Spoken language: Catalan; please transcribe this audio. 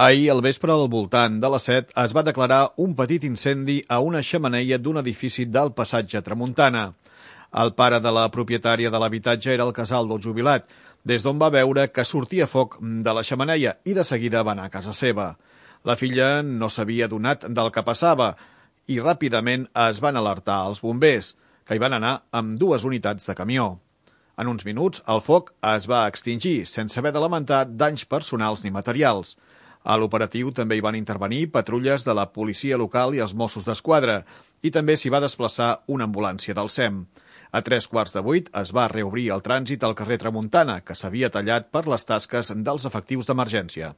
Ahir, al vespre, al voltant de les 7, es va declarar un petit incendi a una xemeneia d'un edifici del passatge Tramuntana. El pare de la propietària de l'habitatge era el casal del jubilat, des d'on va veure que sortia foc de la xemeneia i de seguida va anar a casa seva. La filla no s'havia adonat del que passava i ràpidament es van alertar als bombers, que hi van anar amb 2 unitats de camió. En uns minuts, el foc es va extingir, sense haver de lamentar danys personals ni materials. A l'operatiu també hi van intervenir patrulles de la policia local i els Mossos d'Esquadra, i també s'hi va desplaçar una ambulància del SEM. A 7:45 es va reobrir el trànsit al carrer Tramuntana, que s'havia tallat per les tasques dels efectius d'emergència.